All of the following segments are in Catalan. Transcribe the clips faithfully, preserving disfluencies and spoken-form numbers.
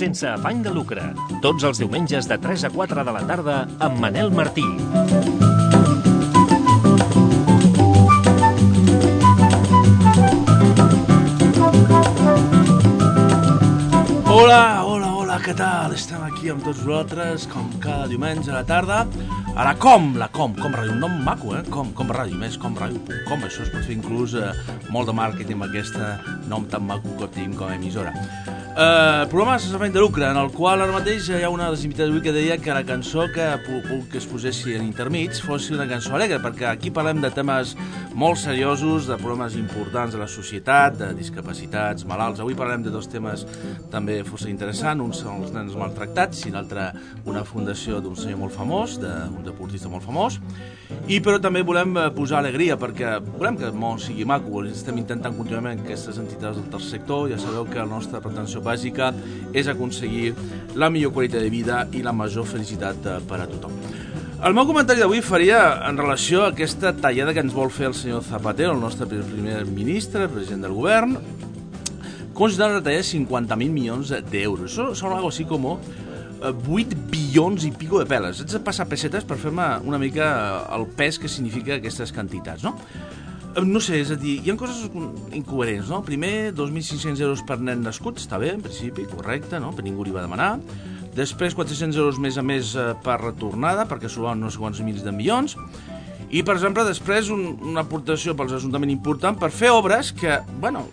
Sense afany de lucre, tots els diumenges de tres a quatre de la tarda amb Manel Martí. Hola, hola, hola, què tal? Estem aquí amb tots vosaltres, com cada diumenge a la tarda. A la Com, la Com, Com Ràdio, un nom maco, eh? Com, Com Ràdio, més com ràdio punt com, això es pot fer inclús eh, molt de màrqueting amb aquest nom tan maco que tenim com a emissora. Uh, programa sense afany de lucre, en el qual ara mateix hi ha una de les invitades d'avui que deia que la cançó que, que es posessi en intermig fos una cançó alegre, perquè aquí parlem de temes molt seriosos, de problemes importants de la societat, de discapacitats, malalts. Avui parlem de dos temes també força interessants, un són els nens maltractats i l'altre una fundació d'un senyor molt famós, d'un deportista molt famós, i però també volem posar alegria perquè volem que el món sigui maco, estem intentant contínuament aquestes entitats del tercer sector. Ja sabeu que la nostra pretensió bàsica és aconseguir la millor qualitat de vida i la major felicitat per a tothom. El meu comentari d'avui faria en relació a aquesta tallada que ens vol fer el senyor Zapatero, el nostre primer ministre, president del govern, considerant retallar cinquanta mil milions d'euros. Això són algo així com vuit bilions i pico de peles. Haig de passar pessetes per fer-me una mica el pes que significa aquestes quantitats, no? No sé, és a dir, hi ha coses incoherents, no? Primer, dos mil cinc-cents euros per nen nascut, està bé, en principi, correcte, no? Per ningú li va demanar. Després, quatre-cents euros més a més per retornada, perquè suben no sé quants mils de milions. I, per exemple, després, un, una aportació pels ajuntaments important per fer obres que, bueno,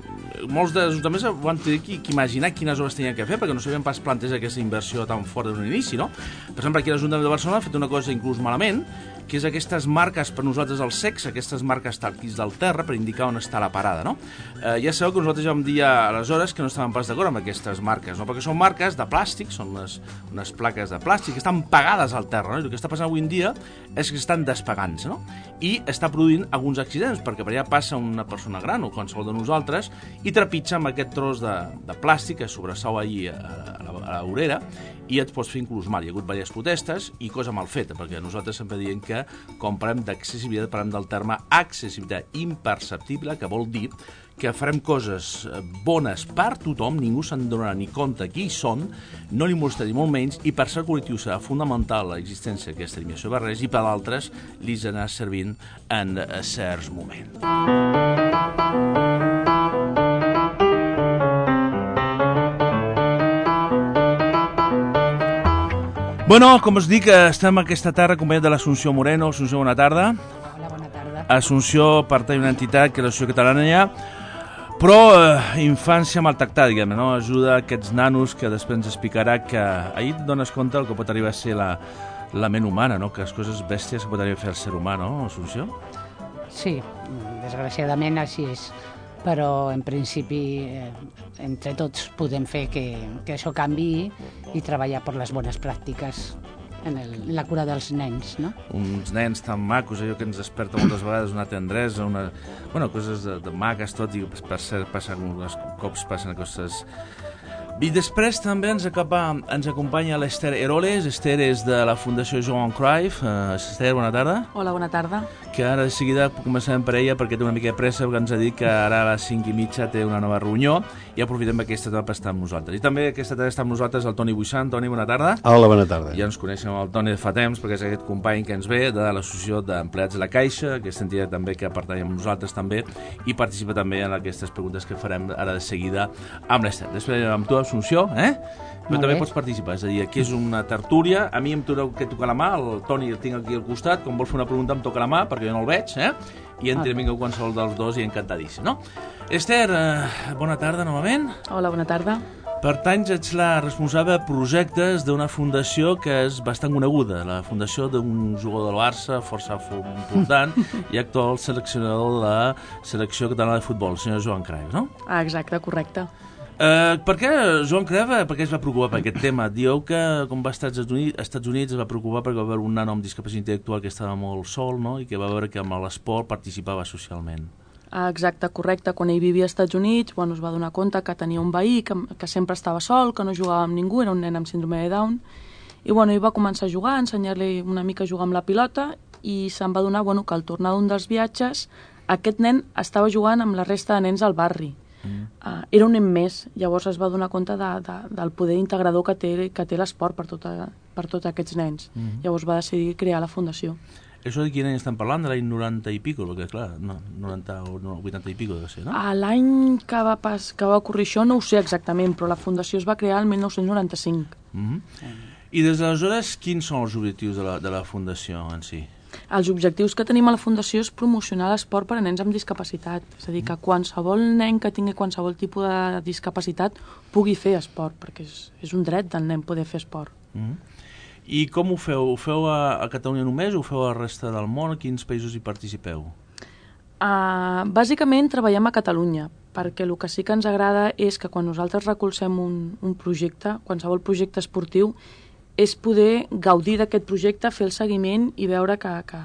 molts dels ajuntaments van tenir que, que imaginar quines obres tenien que fer, perquè no sabien pas plantejar aquesta inversió tan fort d'un inici, no? Per exemple, aquí l'Ajuntament de Barcelona ha fet una cosa inclús malament, que és aquestes marques per nosaltres al sexe, aquestes marques talquis del terra per indicar on està la parada, no? Eh, ja sabeu que nosaltres ja vam dir aleshores que no estàvem pas d'acord amb aquestes marques, no? Perquè són marques de plàstic, són unes, unes plaques de plàstic que estan pegades al terra, no? I el que està passant avui en dia és que estan despegant-se, no? I està produint alguns accidents, perquè per allà passa una persona gran o qualsevol de nosaltres i trepitja amb aquest tros de, de plàstic que sobressau allí a, a, la, a la vorera i et pots fer inclús mal. Hi ha hagut diverses protestes i cosa mal feta, perquè nosaltres sempre diem que quan parlem d'accessibilitat parlem del terme accessibilitat imperceptible, que vol dir que farem coses bones per tothom, ningú se'n donarà ni compte qui són, no li molestarà ni molt menys, i per ser col·lectiu serà fonamental l'existència d'aquesta eliminació de barreres i per altres li anar servint en certs moments. Bueno, com us dic, estem aquesta tarda acompanyat de l'Assumpció Moreno. Assumpció, bona tarda. Hola, bona tarda. Assumpció pertany a una entitat que és l'Associació Catalana ja, però eh, infància maltractada, diguem, no? Ajuda a aquests nanos que després ens explicarà que ahir et dones compte del que pot arribar a ser la, la ment humana, no? Que les coses bèsties que pot arribar a fer el ser humà, no, Assumpció? Sí, desgraciadament així és. Però en principi eh, entre tots podem fer que, que això canvi i treballar per les bones pràctiques en, el, en la cura dels nens, no? Uns nens tan macos, allò que ens desperta moltes vegades una tendresa, una... bueno, coses de, de maques, tot, i per cert, passen, uns cops passen coses... I després també ens, acaba, ens acompanya l'Esther Eroles. Esther és de la Fundació Johan Cruyff. Uh, Esther, bona tarda. Hola, bona tarda. Que ara de seguida començarem per ella perquè té una mica de pressa, perquè ens ha dit que ara a les cinc i mitja té una nova reunió i aprofitem aquesta tarda per estar amb nosaltres. I també aquesta tarda està amb nosaltres el Toni Buixant. Toni, bona tarda. Hola, bona tarda. Ja ens coneixem el Toni de fa temps perquè és aquest company que ens ve de l'Associació d'Empleats de la Caixa, aquesta entitat també que pertany amb nosaltres també i participa també en aquestes preguntes que farem ara de seguida amb l'Esther. Després amb tu, Assumpció, eh? Però Molt també bé. pots participar, és a dir, aquí és una tertúlia, a mi em toca que tocar la mà, el Toni el tinc aquí al costat, quan vol fer una pregunta em toca la mà, perquè jo no el veig, eh? I entenc que qualsevol dels dos i encantadíssim, no? Esther, eh, bona tarda novament. Hola, bona tarda. Pertanys, ets la responsable de projectes d'una fundació que és bastant coneguda, la fundació d'un jugador del Barça, força important, i actual seleccionador de la selecció catalana de futbol, el senyor Johan Cruyff, no? Ah, exacte, correcte. Uh, per què Joan Cruyff, per què es va preocupar per aquest tema? Dieu que com va estar als Estats Units, als Estats Units es va preocupar perquè va veure un nano amb discapacitat intel·lectual que estava molt sol, no? I que va veure que amb l'esport participava socialment. Exacte, correcte. Quan ell vivia als Estats Units, bueno, es va donar compte que tenia un veí, que, que sempre estava sol, que no jugava amb ningú, era un nen amb síndrome de Down, i bueno, ell va començar a jugar, a ensenyar-li una mica a jugar amb la pilota, i se'n va donar bueno, que al tornar d'un dels viatges aquest nen estava jugant amb la resta de nens al barri. Mm. Uh, era un nen més, llavors es va donar compte de, de, del poder integrador que té, que té l'esport per, tota, per tots aquests nens. Mm. Llavors va decidir crear la fundació. Això de quin any estem parlant? De l'any noranta i pico? Perquè, clar, no, noranta o vuitanta i pico deve ser, no? A l'any que va, pas, que va ocorrir això no ho sé exactament, però la fundació es va crear el dinou noranta-cinc. Mm-hmm. Mm. I des d'aleshores, quins són els objectius de la, de la fundació en si? Els objectius que tenim a la fundació és promocionar l'esport per a nens amb discapacitat. És a dir, que qualsevol nen que tingui qualsevol tipus de discapacitat pugui fer esport, perquè és, és un dret del nen poder fer esport. Mm-hmm. I com ho feu? Ho feu a, a Catalunya només o ho feu a la resta del món? A quins països hi participeu? Uh, bàsicament treballem a Catalunya, perquè el que sí que ens agrada és que quan nosaltres recolzem un, un projecte, qualsevol projecte esportiu, és poder gaudir d'aquest projecte, fer el seguiment i veure que, que,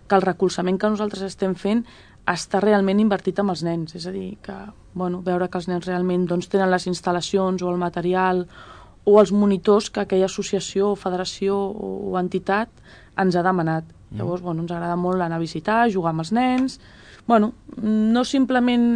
que el recolzament que nosaltres estem fent està realment invertit amb els nens. És a dir, que, bueno, veure que els nens realment doncs, tenen les instal·lacions o el material o els monitors que aquella associació, federació o entitat ens ha demanat. Mm. Llavors, bueno, ens agrada molt anar a visitar, jugar amb els nens, bueno, no simplement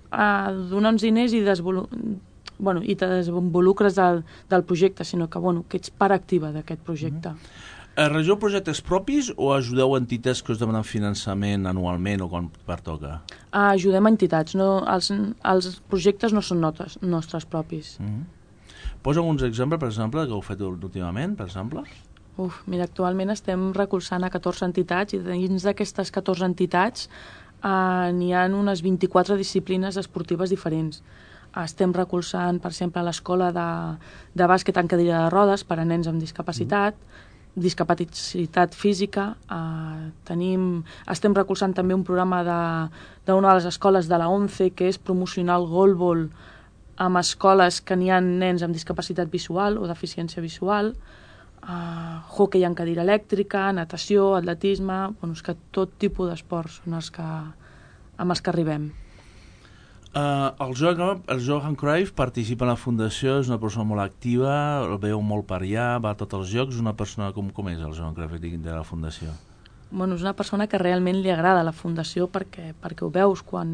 uh, donar uns diners i desenvolupar bueno, i te desenvolucres del, del projecte, sinó que, bueno, que ets part activa d'aquest projecte. Mm-hmm. Regeu projectes propis o ajudeu entitats que us demanen finançament anualment o quan pertoca? Uh, ajudem entitats, no, els, els projectes no són notes, nostres propis. Mm-hmm. Posa uns exemples, per exemple, que heu fet últimament, per exemple? Uf, mira, actualment estem recolzant a catorze entitats i dins d'aquestes catorze entitats uh, n'hi ha unes vint-i-quatre disciplines esportives diferents. Estem recolzant, per exemple, l'escola de, de bàsquet en cadira de rodes per a nens amb discapacitat, mm. discapacitat física. Eh, tenim, estem recolzant també un programa d'una de, de les escoles de la ONCE, que és promocionar el golbol amb escoles que n'hi ha nens amb discapacitat visual o deficiència visual, eh, hoquei en cadira elèctrica, natació, atletisme, bueno, és que tot tipus d'esports són els que, amb els que arribem. Uh, el, Johan, el Johan Cruyff participa en la fundació, és una persona molt activa, el veu molt per allà, va a tots els jocs, és una persona com, com és el Johan Cruyff de la fundació? Bueno, és una persona que realment li agrada la fundació perquè, perquè ho veus quan,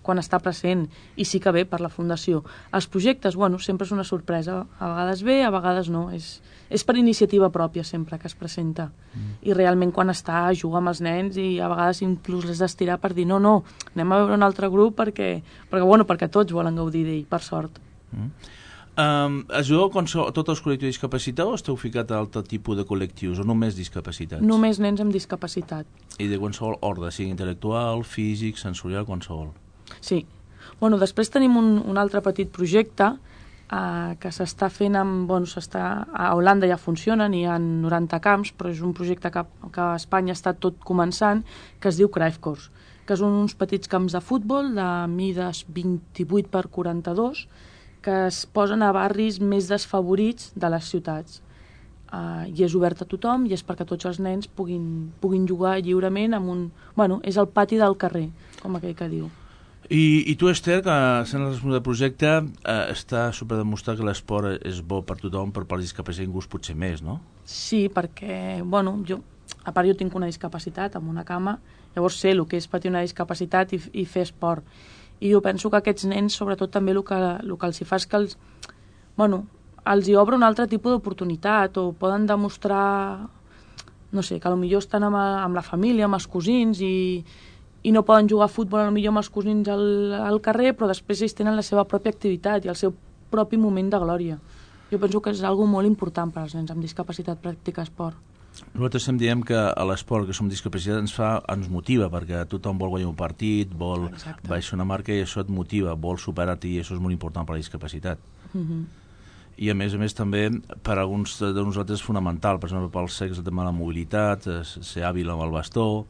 quan està present i sí que ve per la fundació. Els projectes, bueno, sempre és una sorpresa, a vegades ve, a vegades no, és, és per iniciativa pròpia sempre que es presenta. Mm. I realment quan està juga amb els nens i a vegades inclús les d'estirar per dir no, no, anem a veure un altre grup perquè, perquè, bueno, perquè tots volen gaudir d'ell, per sort. Mm. Um, ajudeu a tots els col·lectius de discapacitat o esteu ficat a altre tipus de col·lectius o només discapacitats? Només nens amb discapacitat. I de qualsevol ordre, sigui intel·lectual, físic, sensorial, qualsevol? Sí. Bueno, després tenim un, un altre petit projecte Uh, que s'està fent amb, bueno, s'està, a Holanda ja funcionen, hi ha noranta camps, però és un projecte que, que a Espanya està tot començant, que es diu Cruyff Courts, que són uns petits camps de futbol de mides vint-i-vuit per quaranta-dos que es posen a barris més desfavorits de les ciutats. Uh, I és obert a tothom i és perquè tots els nens puguin, puguin jugar lliurement amb un... Bueno, és el pati del carrer, com aquell que diu. I, i tu, Esther, que sent el responsable del projecte, eh, està superdemostrat que l'esport és bo per tothom, però per la discapacitat ningú potser més, no? Sí, perquè, bueno, jo, a part jo tinc una discapacitat amb una cama, llavors sé el que és patir una discapacitat i, i fer esport. I jo penso que aquests nens, sobretot també el que, el que els hi fa és que els, bueno, els hi obre un altre tipus d'oportunitat o poden demostrar, no sé, que potser estan amb, amb la família, amb els cosins i... i no poden jugar a futbol potser amb els cosins al, al carrer, però després ells tenen la seva pròpia activitat i el seu propi moment de glòria. Jo penso que és algo molt important per als nens amb discapacitat practicar esport. Nosaltres sempre diem que a l'esport, que som discapacitats, ens fa, ens motiva, perquè tothom vol guanyar un partit, vol Exacte. baixar una marca i això et motiva, vol superar-te i això és molt important per a la discapacitat. Mm-hmm. I a més a més també per a alguns de nosaltres és fonamental, per exemple pel sexe el tema de la mobilitat, ser hàbil amb el bastó,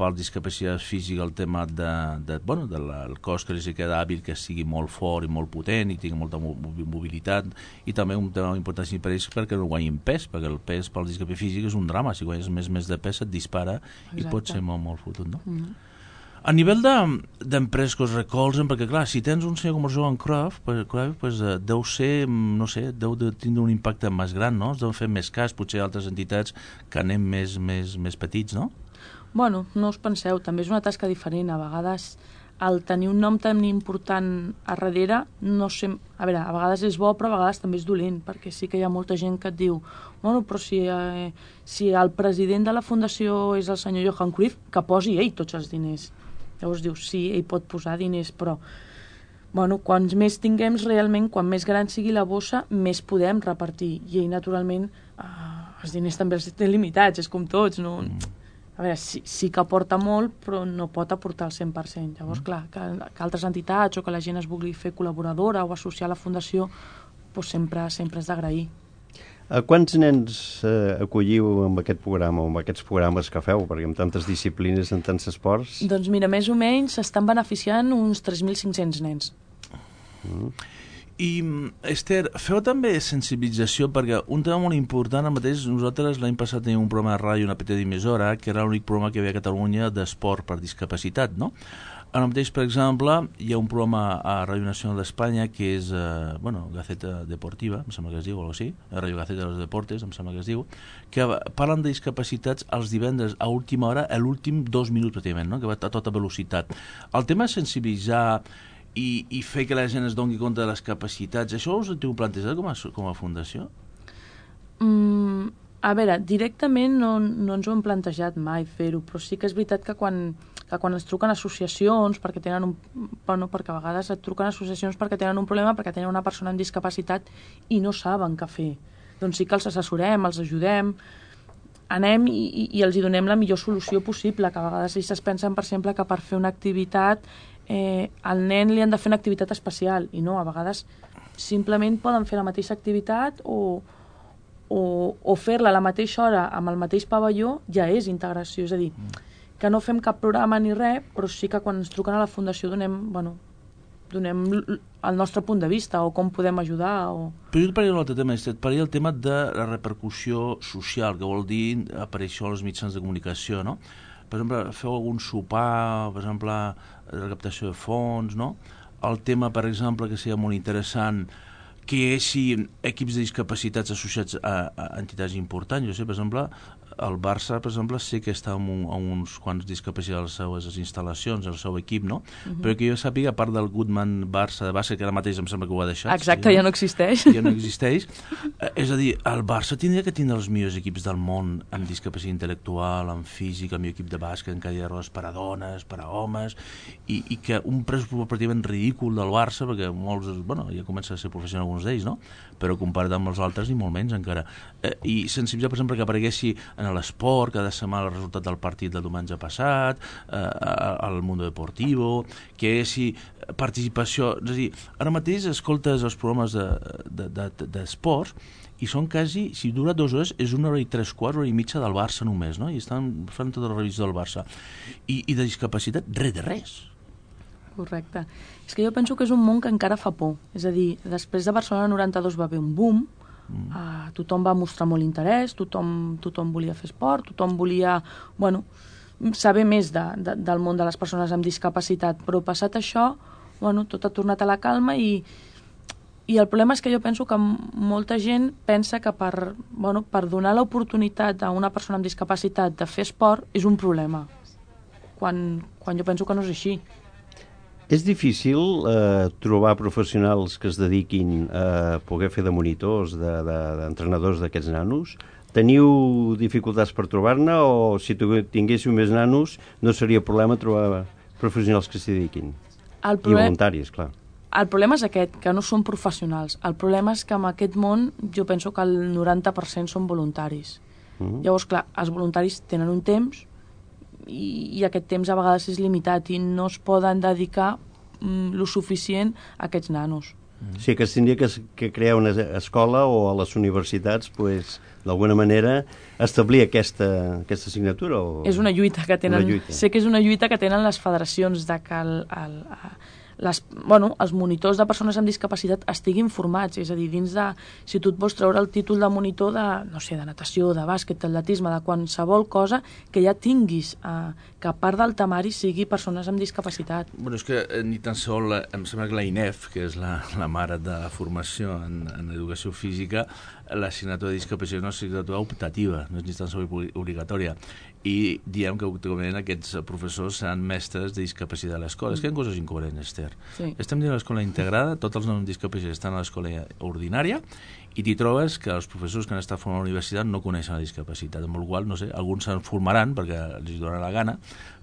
per discapacitat física el tema de, de, bueno, de la, el cos que li queda hàbil, que sigui molt fort i molt potent i tingui molta mobilitat, i també un tema important per ells perquè no guanyin pes, perquè el pes per la discapacitat física és un drama, si guanyes més més de pes et dispara. Exacte. I pot ser molt, molt fotut, no? Mm-hmm. A nivell d'empreses que us recolzen, perquè clar, si tens un senyor com el Joan Cruyff, pues, pues, eh, deu ser, no sé, deu de tindre un impacte més gran, no? Es deuen fer més cas, potser altres entitats que anem més, més, més petits, no? Bueno, no us penseu, també és una tasca diferent. A vegades el tenir un nom tan important a darrere, no sé, a veure, a vegades és bo, però a vegades també és dolent, perquè sí que hi ha molta gent que et diu, bueno, però si, eh, si el president de la fundació és el senyor Johan Cruyff, que posi ell tots els diners. Llavors dius, sí, ell pot posar diners, però bueno, quants més tinguem realment, quan més gran sigui la bossa, més podem repartir. I ell, naturalment, eh, els diners també els té limitats, és com tots, no... Mm. A veure, sí, sí que aporta molt, però no pot aportar el cent per cent. Llavors, clar, que, que altres entitats o que la gent es vulgui fer col·laboradora o associar a la fundació, doncs sempre, sempre és d'agrair. A quants nens eh, acolliu amb aquest programa o amb aquests programes que feu? Perquè amb tantes disciplines, en tants esports... Doncs mira, més o menys s'estan beneficiant uns tres mil cinc-cents nens. Mm. I, Esther, feu també sensibilització, perquè un tema molt important, el mateix, nosaltres l'any passat teníem un programa de ràdio, una petita emissora, que era l'únic programa que hi havia a Catalunya d'esport per discapacitat, no? Ara mateix, per exemple, hi ha un programa a Ràdio Nacional d'Espanya que és, eh, bueno, Gaceta Deportiva, em sembla que es diu, o alguna cosa així, Ràdio Gaceta de los Deportes, em sembla que es diu, que parlen de discapacitats els divendres a última hora, a l'últim dos minuts, pràcticament, no? Que va a tota velocitat. El tema és sensibilitzar i, i fer que la gent es doni compte de les capacitats, això us ho heu plantejat com a, com a fundació? Mm, a veure, directament no, no ens ho hem plantejat mai fer-ho, però sí que és veritat que quan, que quan ens truquen associacions, perquè tenen un, bueno, perquè a vegades et truquen associacions perquè tenen un problema, perquè tenen una persona amb discapacitat i no saben què fer. Doncs sí que els assessorem, els ajudem, anem i, i, i els hi donem la millor solució possible, que a vegades ells es pensen, per exemple, que per fer una activitat eh, al nen li han de fer una activitat especial, i no, a vegades simplement poden fer la mateixa activitat o, o, o fer-la a la mateixa hora amb el mateix pavelló ja és integració, és a dir, que no fem cap programa ni res, però sí que quan ens truquen a la fundació donem, bueno, donem el nostre punt de vista o com podem ajudar. O... Però jo et parlaria d'un altre tema, et parlaria el tema de la repercussió social, que vol dir aparèixer als mitjans de comunicació, no? Per exemple, feu algun sopar, per exemple, la captació de fons, no? El tema, per exemple, que seria molt interessant, que hi haguessi equips de discapacitats associats a, a entitats importants. Jo sé, per exemple, el Barça, per exemple, sé que està amb, un, amb uns quants discapacitats a les seues instal·lacions, al seu equip, no? Uh-huh. Però que jo sàpiga, a part del Goodman Barça de bàsquet, que ara mateix em sembla que ho ha deixat. Exacte, sí, ja no existeix. Ja no existeix. Eh, és a dir, el Barça tindria que tindre els millors equips del món amb discapacitat intel·lectual, amb físic, el millor equip de bàsquet, en cadira de rodes per a dones, per a homes, i, i que un pressupost pràcticament ridícul del Barça, perquè molts, bueno, ja comença a ser professional alguns d'ells, no? Però comparat amb els altres, ni molt menys encara. Eh, I sensibilitzar, per exemple, que apareguessi en l'esport, cada setmana el resultat del partit del diumenge passat, eh, al Mundo Deportivo, que hi haguessi participació. És a dir, ara mateix escoltes els programes d'esports de, de, de, i són quasi, si dura dues hores, és una hora i tres quarts, hora i mitja del Barça només, no? I estan fent tota la revisió del Barça. I, i de discapacitat, res de res. Correcte. És que jo penso que és un món que encara fa por. És a dir, després de Barcelona noranta-dos va haver un boom, mm. uh, tothom va mostrar molt interès, tothom, tothom volia fer esport, tothom volia, bueno, saber més de, de, del món de les persones amb discapacitat, però passat això, bueno, tot ha tornat a la calma i, i el problema és que jo penso que molta gent pensa que per, bueno, per donar l'oportunitat a una persona amb discapacitat de fer esport és un problema, quan, quan jo penso que no és així. És difícil eh, trobar professionals que es dediquin a poder fer de monitors, d'entrenadors de, de, d'aquests nanos? Teniu dificultats per trobar-ne o si tinguéssiu més nanos no seria problema trobar professionals que s'hi dediquin? El problem... I voluntaris, clar. El problema és aquest, que no són professionals. El problema és que en aquest món jo penso que el noranta per cent són voluntaris. Mm-hmm. Llavors, clar, els voluntaris tenen un temps i, i aquest temps a vegades és limitat i no es poden dedicar mm, lo suficient a aquests nanos. O sigui que es tindria que, que crear una escola o a les universitats, pues, d'alguna manera, establir aquesta, aquesta assignatura? O... És una lluita que tenen... Una lluita. Sé que és una lluita que tenen les federacions de que el, el, les, bueno, els monitors de persones amb discapacitat estiguin formats, és a dir, dins de... Si tu et vols treure el títol de monitor de, no sé, de natació, de bàsquet, d'atletisme, de qualsevol cosa, que ja tinguis, eh, que a part del temari sigui persones amb discapacitat. Bueno, és que eh, ni tan sol, eh, em sembla que la I N E F, que és la, la mare de la formació en, en educació física, l'assignatura de discapacitat és una assignatura optativa, no és ni tan sol obligatòria. I diem que actualment aquests professors seran mestres de discapacitat a l'escola. Mm. És que hi ha coses incoherents, Esther. Sí. Estem dient l'escola integrada, tots els noms discapacitats estan a l'escola ordinària, i t'hi trobes que els professors que han estat formant a la universitat no coneixen la discapacitat, amb la qual cosa, no sé, alguns se'n formaran perquè els donarà la gana,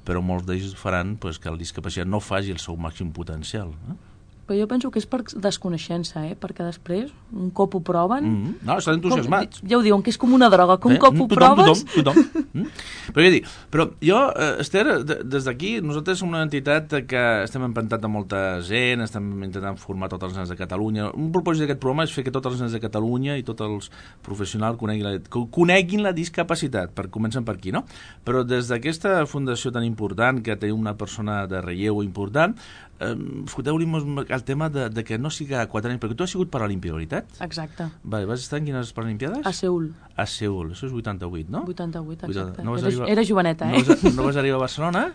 però molts d'ells faran pues, que la discapacitat no faci el seu màxim potencial. Eh? Però jo penso que és per desconeixença, eh? Perquè després, un cop ho proven... Mm -hmm. No, estan entusiasmats. Com, ja ho diuen, que és com una droga, que un eh? cop ho tothom, proves... Tothom, tothom. mm? Però què dir? Però jo, eh, Esther, de, des d'aquí, nosaltres som una entitat que estem empantat de molta gent, estem intentant formar tots els nens de Catalunya. Un propòsit d'aquest programa és fer que tots els nens de Catalunya i tots els professionals coneguin la, coneguin la discapacitat, per comencen per aquí, no? Però des d'aquesta fundació tan important, que té una persona de relleu important, eh, foteu-li el tema de, de que no sigui a quatre anys, perquè tu has sigut paralímpic, veritat? Exacte. Vale, vas estar en quines Paralimpiades? A Seul. A Seul, això és vuitanta-vuit, no? vuitanta-vuit, exacte. No era, arribar... era joveneta, eh? No vas, no vas arribar a Barcelona?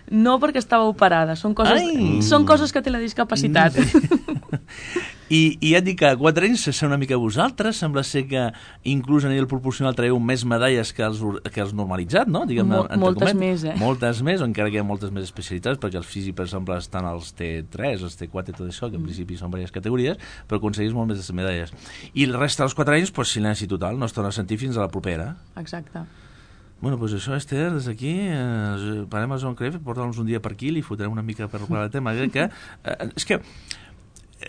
No, perquè estava operada. Són coses, són coses que té la discapacitat. I, I ja et dic que a quatre anys se una mica vosaltres, sembla ser que inclús a nivell proporcional traieu més medalles que els, que els normalitzat, no? Diguem, Mol, moltes més, eh? Moltes més, encara que hi ha moltes més especialitats, perquè els físics, per exemple, estan als T tres, els T quatre i tot això, que en mm. principi són diverses categories, però aconseguís molt més de medalles. I el resta dels quatre anys, pues, silenci total, no es torna a sentir fins a la propera. Exacte. Bueno, doncs això, Esther, des d'aquí, eh, parem a Joan Cref, porta'ns un dia per aquí, li fotrem una mica per parlar del tema, que, eh, és que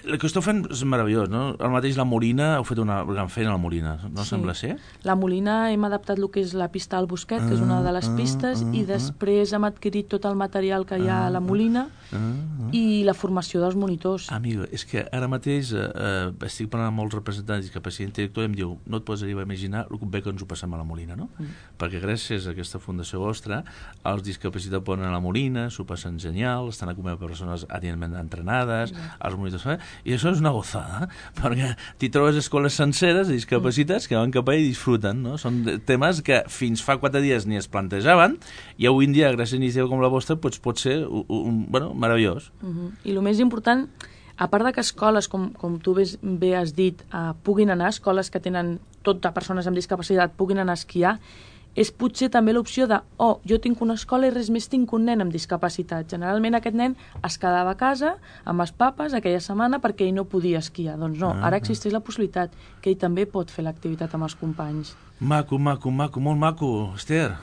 el que esteu fent és meravellós, no? El mateix la Molina, heu fet una gran feina a la Molina, no sí. Sembla ser? La Molina hem adaptat el que és la pista al Bosquet, que és una de les pistes, uh, uh, uh, i després hem adquirit tot el material que hi ha a la Molina uh, uh, uh. i la formació dels monitors. Amigo, és que ara mateix eh, eh, estic parlant amb molts representants de discapacitat intel·lectual i em diu, no et pots arribar a imaginar el bé que ens ho passem a la Molina, no? Mm. Perquè gràcies a aquesta fundació vostra, els discapacitats poden anar a la Molina, s'ho passen genial, estan acompanyats per persones adientment entrenades, mm. els monitors... I això és una gozada, perquè t'hi trobes escoles senceres de discapacitats que van cap allà i disfruten, no? Són temes que fins fa quatre dies ni es plantejaven i avui en dia, gràcies a iniciativa com la vostra, doncs pot ser un, un, bueno, meravellós. Uh -huh. I el més important, a part de que escoles, com, com tu bé, bé has dit, uh, puguin anar, escoles que tenen tot de persones amb discapacitat, puguin anar a esquiar, és potser també l'opció de, oh, jo tinc una escola i res més tinc un nen amb discapacitat. Generalment aquest nen es quedava a casa amb els papes aquella setmana perquè ell no podia esquiar. Doncs no, ara existeix la possibilitat que ell també pot fer l'activitat amb els companys. Maco, maco, maco, molt maco, Esther.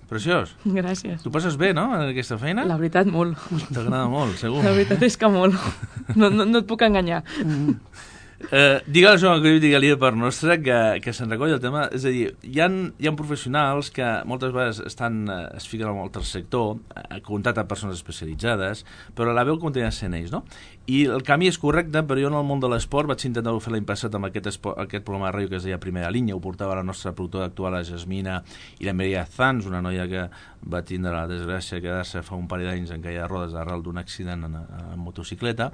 Preciós. Gràcies. Tu passes bé, no, en aquesta feina? La veritat, molt. T'agrada molt, segur. La veritat és que molt. No, no, no et puc enganyar. Mm. Eh, digue-li Joan Cruyff, digue-li per nostre que, que se'n recolli el tema, és a dir, hi ha, hi ha professionals que moltes vegades estan, es fiquen en el tercer sector, a contacte amb persones especialitzades, però la veu continua sent ells, no? I el camí és correcte, però jo en el món de l'esport vaig intentar fer l'any passat amb aquest, esport, aquest programa de ràdio que es deia Primera Línia, ho portava la nostra productora actual, la Jasmina, i la Maria Zanz, una noia que va tindre la desgràcia de quedar-se fa un parell d'anys en caia de rodes arrel d'un accident en, en motocicleta.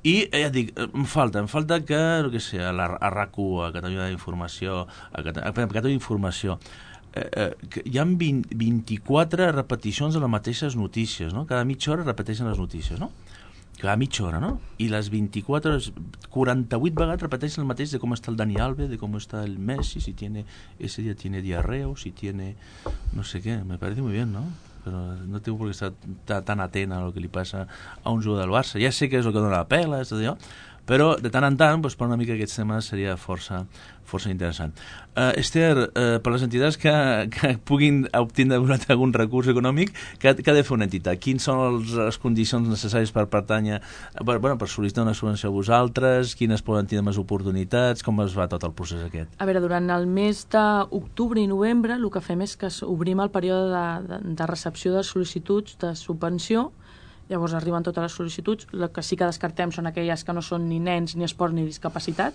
I ja et dic, em falta, em falta que, no què sé, a, la, a R A C u, a Catalunya d'Informació, a, a Catalunya d'Informació, eh, eh, que hi ha vint, vint-i-quatre repeticions de les mateixes notícies, no? Cada mitja hora repeteixen les notícies, no? Cada mitja hora, no? I les vint-i-quatre hores, quaranta-vuit vegades repeteixen el mateix de com està el Dani Alves, de com està el Messi, si tiene, ese día tiene diarrea o si tiene, no sé què, me parece muy bien, ¿no? Però no tinc per què estar tan atent a el que li passa a un jugador del Barça. Ja sé que és el que dona la pela, és tot allò, però de tant en tant, doncs, per una mica aquests temes seria força, força interessant. Uh, Esther, uh, per les entitats que, que puguin obtindre algun recurs econòmic, què, què ha de fer una entitat? Quines són els, les condicions necessàries per pertànyer, per, bueno, per sol·licitar una subvenció a vosaltres? Quines poden tenir més oportunitats? Com es va tot el procés aquest? A veure, durant el mes d'octubre i novembre el que fem és que obrim el període de, de, de recepció de sol·licituds de subvenció Llavors arriben totes les sol·licituds. El que sí que descartem són aquelles que no són ni nens, ni esport, ni discapacitat.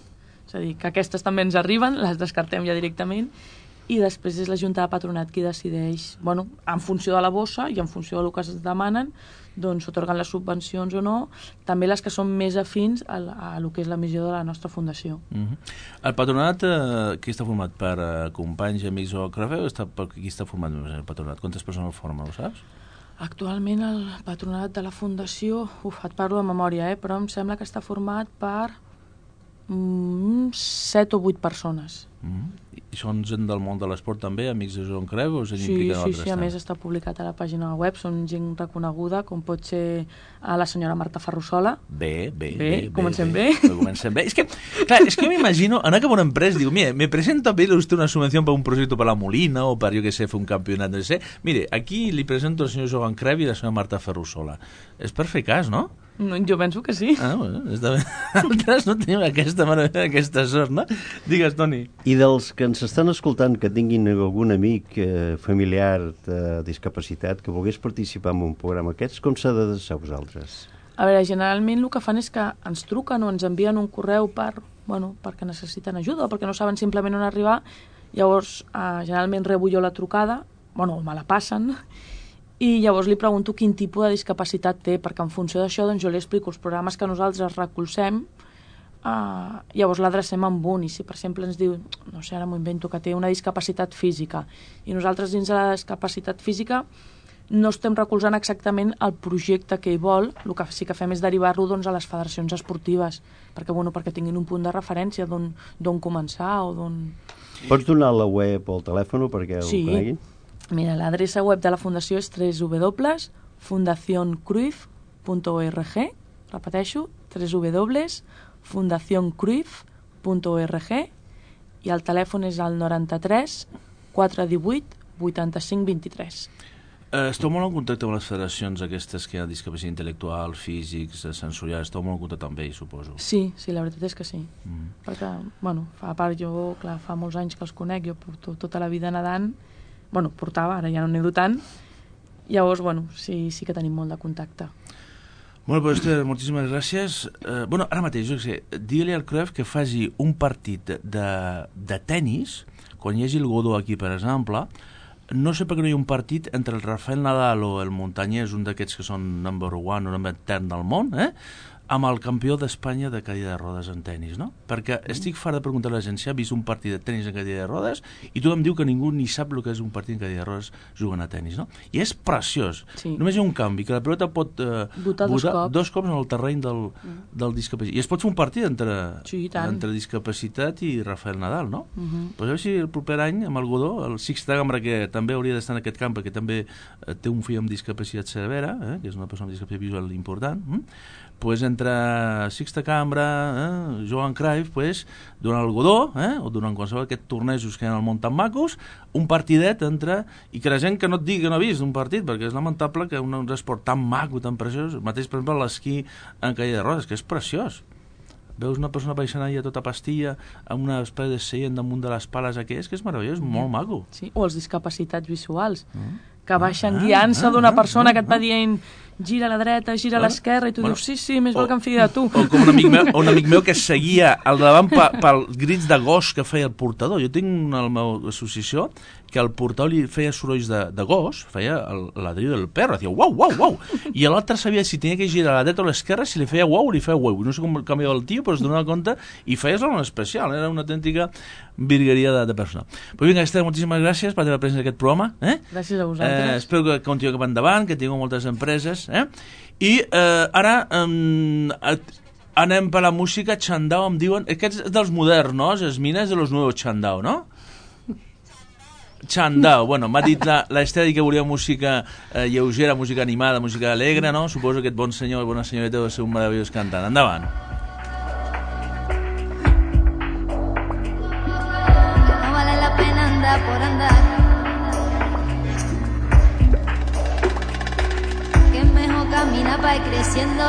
És a dir, que aquestes també ens arriben, les descartem ja directament. I després és la Junta de Patronat qui decideix, bueno, en funció de la bossa i en funció del que es demanen, doncs s'atorguen les subvencions o no, també les que són més afins a, a, a lo que és la missió de la nostra fundació. Uh-huh. El patronat, eh, qui està format per eh, companys, amics o crefeu, està, per qui està format el patronat? Quantes persones el formen, ho saps? Actualment el patronat de la fundació, uf, et parlo de memòria, eh, però em sembla que està format per mm, set o vuit persones. Uh-huh. I són gent del món de l'esport també, amics de Joan Creu, o gent sí, implicada sí, altres? Sí, a més està publicat a la pàgina web, són gent reconeguda, com pot ser a la senyora Marta Ferrusola. Bé, bé, bé. bé. Comencem bé. bé. Comencem bé. És que, clar, és que yo me imagino, anar cap a una empresa, digo, mire, me presenta a pedirle usted una subvención para un proyecto para la Molina o para, yo que sé, fer un campionat, no sé. Mire, aquí li presento al senyor Joan Creu i la senyora Marta Ferrusola. És per fer cas, no? No, jo penso que sí. Ah, bueno, està bé. Altres no tenim aquesta, aquesta sort, no? Digues, Toni. I dels que ens estan escoltant que tinguin algun amic eh, familiar de discapacitat que volgués participar en un programa aquests, com s'ha d'adreçar a vosaltres? A veure, generalment el que fan és que ens truquen o ens envien un correu per, bueno, perquè necessiten ajuda o perquè no saben simplement on arribar. Llavors, eh, generalment rebo jo la trucada, bueno, me la passen, i llavors li pregunto quin tipus de discapacitat té, perquè en funció d'això doncs, jo li explico els programes que nosaltres recolzem, uh, llavors l'adrecem amb un, i si per exemple ens diu, no sé, ara m'ho invento, que té una discapacitat física, i nosaltres dins de la discapacitat física no estem recolzant exactament el projecte que hi vol, el que sí que fem és derivar-lo doncs, a les federacions esportives, perquè, bueno, perquè tinguin un punt de referència d'on començar o d'on... Pots donar la web o el telèfon perquè sí. ho coneguin? Mira, l'adreça web de la fundació és doble u doble u doble u punt fundación cruyff punt org, repeteixo, doble u doble u doble u punt fundación cruyff punt org, i el telèfon és el noranta-tres quatre divuit vuitanta-cinc vint-i-tres. Uh, esteu molt en contacte amb les federacions aquestes que hi ha discapacitat intel·lectual, físics, sensorials, esteu molt en contacte amb ells, suposo. Sí, sí, la veritat és que sí. Mm. Perquè, bueno, a part jo, clar, fa molts anys que els conec, jo porto tota la vida nedant, bueno, portava, ara ja no nedo tant, llavors, bueno, sí, sí que tenim molt de contacte. Bueno, pues, Esther, moltíssimes gràcies. Uh, bueno, ara mateix, jo sé, digue-li al Cruyff que faci un partit de, de tennis, quan hi hagi el Godó aquí, per exemple. No sé per què no hi ha un partit entre el Rafael Nadal o el Montañés, un d'aquests que són number one o number ten del món, eh? amb el campió d'Espanya de cadira de rodes en tennis, no? Perquè estic fart de preguntar a la gent si ha vist un partit de tennis en cadira de rodes i tothom diu que ningú ni sap el que és un partit en cadira de rodes jugant a tennis, no? I és preciós. Sí. Només hi ha un canvi, que la pilota pot eh, botar dos cops. dos cops en el terreny del, mm. del discapacitat. I es pot fer un partit entre, sí, entre discapacitat i Rafael Nadal, no? Uh -huh. Pues a veure si el proper any, amb el Godó, el Sixta Cambra, que també hauria d'estar en aquest camp, perquè també eh, té un fill amb discapacitat severa, eh, que és una persona amb discapacitat visual important, eh? Pues entre Sixta Cambra, eh, Joan Cruyff, pues, durant el Godó, eh, o durant qualsevol d'aquests tornejos que hi ha al món tan macos, un partidet entre... I que la gent que no et digui que no ha vist un partit, perquè és lamentable que un, un esport tan maco, tan preciós, mateix, per exemple, l'esquí en cadira de rodes, que és preciós. Veus una persona baixant allà tota pastilla amb una espècie de seient damunt de les pales aquelles, que és meravellós, molt maco. Sí, o els discapacitats visuals, Mm. que baixen Ah, guiant-se ah, d'una ah, persona ah, que et va ah. dient gira a la dreta, gira a l'esquerra, i tu Bueno, dius, sí, sí, més o- val que em fidi de tu. O com un amic meu, un amic meu que seguia al davant pe- pel grits de gos que feia el portador. Jo tinc una a la meva associació que el portador li feia sorolls de, de gos, feia el ladrillo del perro, feia uau, uau, uau, i l'altre sabia si tenia que girar a la dreta o a l'esquerra, si li feia uau o li feia uau. No sé com canviava el tio, però es donava compte i feia una especial, era una autèntica virgueria de, de persona. Però vinga, Esther, moltíssimes gràcies per haver present aquest programa. Eh? Gràcies a Eh, vosaltres. espero que continuï cap endavant, que tingueu moltes empreses. Eh? I eh, ara eh, anem per la música. Chandao, em diuen... Aquests dels moderns, no? Esmines de los nuevos Chandao, no? Chandao, bueno, m'ha dit la, la Esther que volia música eh, lleugera, música animada, música alegre, no? Suposo que aquest bon senyor, bona senyoreta deu ser un meravellós cantant. Endavant. No vale la pena andar por andar, que es mejor caminar para ir creciendo.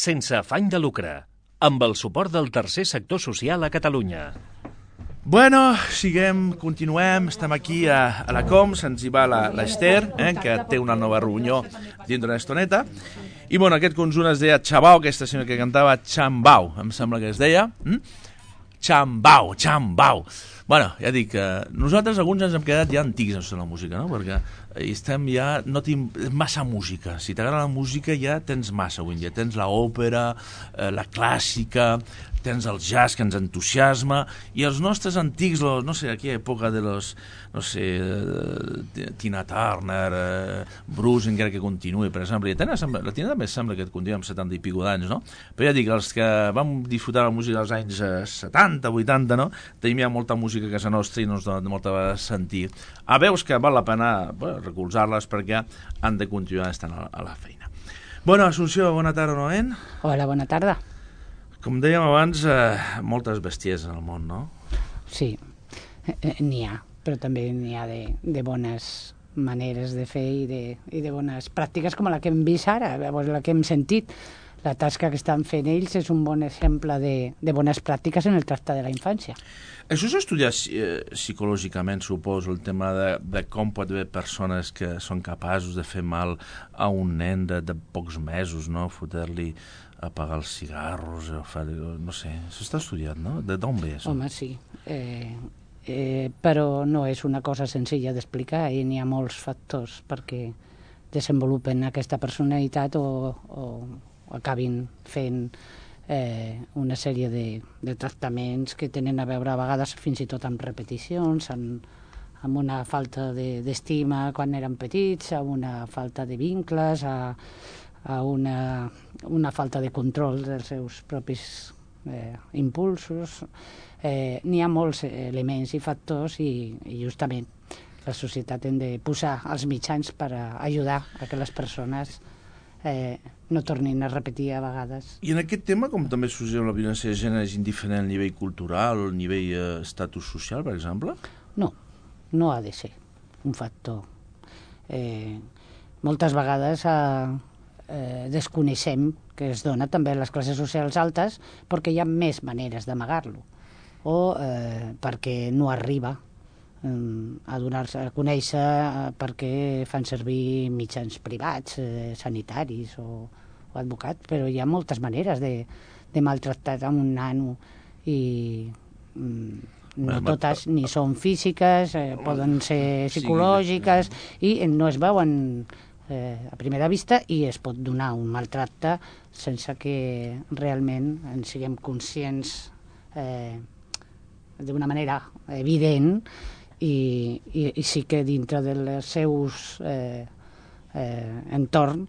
sense afany de lucre, amb el suport del tercer sector social a Catalunya. Bueno, siguem, continuem, estem aquí a, a la Com, se'ns hi va l'Ester, eh, que té una nova reunió dins d'una estoneta, i bueno, aquest conjunt es deia Xabau, aquesta senyora que cantava Xambau, em sembla que es deia, hm? Xambau, Xambau. Bueno, ja dic, eh, nosaltres alguns ens hem quedat ja antics en la música, no? Perquè estem ja, no tinc massa música. Si t'agrada la música ja tens massa avui en dia. Tens l'òpera, eh, la clàssica, tens el jazz que ens entusiasma, i els nostres antics, los, no sé, aquella època de los, no sé, eh, Tina Turner, eh, Bruce, encara que continuï, per exemple. I Tina, la Tina també sembla que continua amb setanta i pico d'anys, no? Però ja dic, els que vam disfrutar la música dels anys eh, setanta, vuitanta, no? Tenim ja molta música a casa nostra i no ens dona molta vegada sentir. A veus que val la pena bueno, recolzar-les perquè han de continuar estant a, a la feina. Bueno, Assumpció, bona tarda novament. Hola, bona tarda. Com dèiem abans, eh, moltes bèsties en el món, no? Sí, eh, n'hi ha, però també n'hi ha de, de bones maneres de fer i de, i de bones pràctiques com la que hem vist ara, la que hem sentit. La tasca que estan fent ells és un bon exemple de, de bones pràctiques en el tracte de la infància. Això s'ha estudiat eh, psicològicament, suposo, el tema de, de com pot haver persones que són capaços de fer mal a un nen de, de pocs mesos, no? Fotre-li apagar els cigarros, o fer, no sé, s'està estudiat, no? De d'on ve això? Home, sí, eh, eh, però no és una cosa senzilla d'explicar i n'hi ha molts factors perquè desenvolupen aquesta personalitat o, o acabin fent eh, una sèrie de, de tractaments que tenen a veure a vegades fins i tot amb repeticions, amb, amb una falta d'estima de, quan eren petits, amb una falta de vincles, a, a una, una falta de control dels seus propis eh, impulsos. Eh, N'hi ha molts elements i factors i, i justament la societat hem de posar els mitjans per a ajudar a que les persones eh, no tornin a repetir a vegades. I en aquest tema, com també succeeix la violència de gènere, és indiferent al nivell cultural o al nivell eh, estatus social, per exemple? No, no ha de ser un factor. Eh, moltes vegades eh, eh, desconeixem que es dona també a les classes socials altes perquè hi ha més maneres d'amagar-lo o eh, perquè no arriba a donar-se a conèixer eh, perquè fan servir mitjans privats, eh, sanitaris o, o advocats, però hi ha moltes maneres de, de maltractar a un nano i mm, no totes ni són físiques, eh, poden ser psicològiques i no es veuen eh, a primera vista i es pot donar un maltracte sense que realment en siguem conscients eh, d'una manera evident. I, i, i sí que dintre dels seus eh, eh, entorn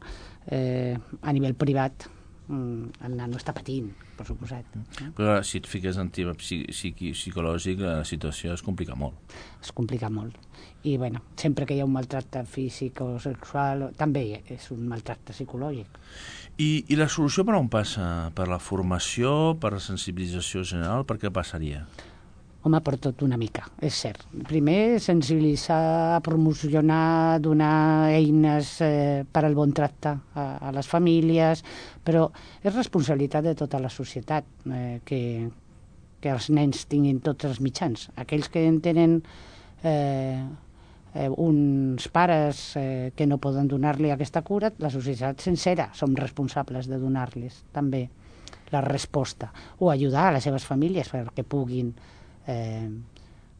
eh, a nivell privat mm, el nano està patint, per suposat. Però si et fiques en tema psiqui, psicològic la situació es complica molt. Es complica molt. I bueno, sempre que hi ha un maltracte físic o sexual també és un maltracte psicològic. I, i la solució per on passa? Per la formació, per la sensibilització general, per què passaria? Home, per tot una mica, és cert. Primer, sensibilitzar, promocionar, donar eines eh, per al bon tracte a, a les famílies, però és responsabilitat de tota la societat eh, que, que els nens tinguin tots els mitjans. Aquells que en tenen eh, eh, uns pares eh, que no poden donar-li aquesta cura, la societat sencera som responsables de donar-les també la resposta, o ajudar a les seves famílies perquè puguin Eh,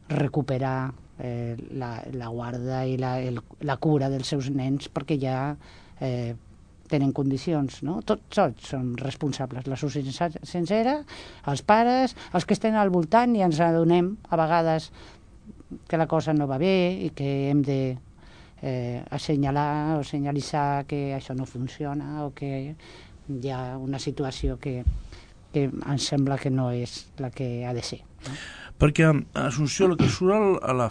recuperar eh, la, la guarda i la, el, la cura dels seus nens perquè ja eh, tenen condicions, no? Tots, tots són responsables, la societat sencera, els pares, els que estan al voltant i ens adonem a vegades que la cosa no va bé i que hem de eh, assenyalar o senyalitzar que això no funciona o que hi ha una situació que, que ens sembla que no és la que ha de ser, no? Perquè, Assumpció, el que surt al, a la,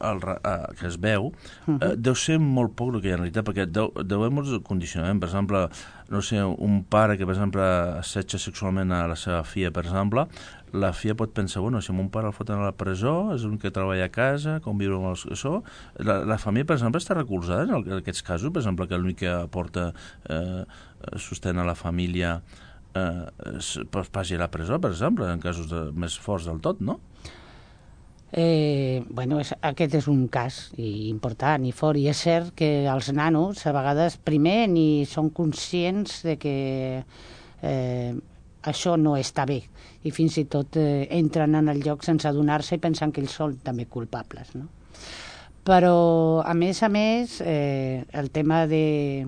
al, a, que es veu, uh-huh. eh, deu ser molt poc el que hi ha en realitat, perquè deu, deu haver molts condicionaments. Per exemple, no sé, un pare que, per exemple, assetja sexualment a la seva filla, per exemple, la filla pot pensar, bueno, si mon pare el foten a la presó, és l'únic que treballa a casa, com viure amb els... això. La, la família, per exemple, està recolzada en, el, en aquests casos, per exemple, que l'únic que aporta eh, sostén a la família eh, es passi a la presó, per exemple, en casos de, més forts del tot, no? Eh, bueno, és, aquest és un cas i important i fort, i és cert que els nanos a vegades primer ni són conscients de que eh, això no està bé, i fins i tot eh, entren en el lloc sense adonar-se i pensant que ells són també culpables, no? Però, a més a més, eh, el tema de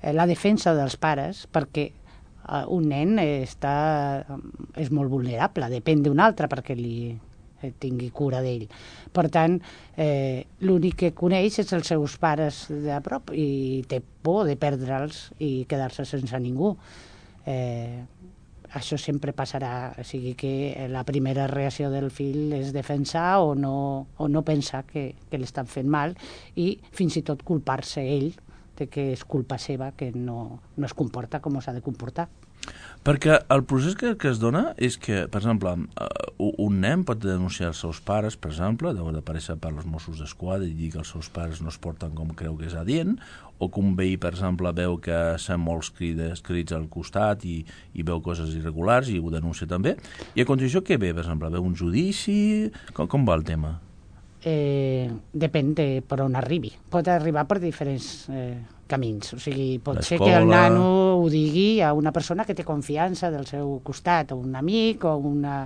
eh, la defensa dels pares, perquè Uh, un nen està, és molt vulnerable, depèn d'un altre perquè li eh, tingui cura d'ell. Per tant, eh, l'únic que coneix és els seus pares de prop i té por de perdre'ls i quedar-se sense ningú. Eh, això sempre passarà, o sigui que la primera reacció del fill és defensar o no, o no pensar que, que l'estan fent mal i fins i tot culpar-se ell de que és culpa seva que no, no es comporta com s'ha de comportar. Perquè el procés que, que es dona és que, per exemple, un nen pot denunciar els seus pares, per exemple, deu d'aparèixer per als Mossos d'Esquadra i dir que els seus pares no es porten com creu que és adient, o que un veí, per exemple, veu que sent molts crides, crits al costat i, i veu coses irregulars i ho denuncia també. I a continuació què ve, per exemple? Veu un judici? Com, com va el tema? Eh, depèn de per on arribi. Pot arribar per diferents eh, camins. O sigui, pot ser que el nano ho digui a una persona que té confiança del seu costat, o un amic, o una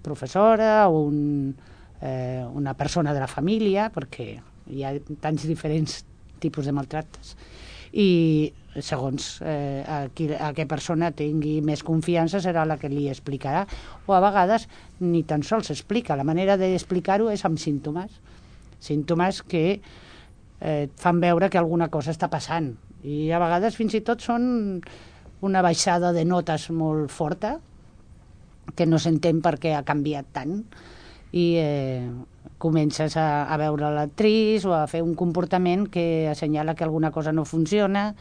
professora, o un, eh, una persona de la família, perquè hi ha tants diferents tipus de maltractes. I segons eh, a, qui, a què persona tingui més confiança serà la que li explicarà, o a vegades ni tan sols explica. La manera d'explicar-ho és amb símptomes, símptomes que eh, fan veure que alguna cosa està passant, i a vegades fins i tot són una baixada de notes molt forta que no s'entén per què ha canviat tant, i eh, comences a, a veure l'actriç o a fer un comportament que assenyala que alguna cosa no funciona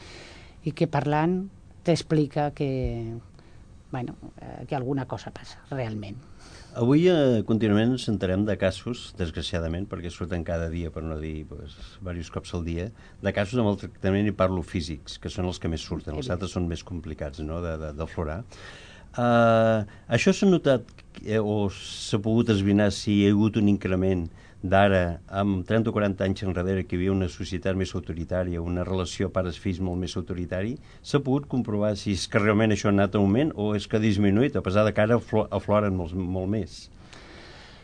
i que parlant t'explica que, bueno, eh, que alguna cosa passa realment. Avui eh, contínuament ens enterem de casos, desgraciadament, perquè surten cada dia, per no dir pues, diversos cops al dia, de casos de maltractament, i parlo físics, que són els que més surten, els altres són més complicats, no?, de, de, d'aflorar. Uh, això s'ha notat eh, o s'ha pogut esbrinar si hi ha hagut un increment d'ara, amb trenta o quaranta anys enrere, que hi havia una societat més autoritària, una relació pares-fills molt més autoritari? S'ha pogut comprovar si és que realment això ha anat a augment o és que ha disminuït, a pesar de que ara afloren molt, molt més?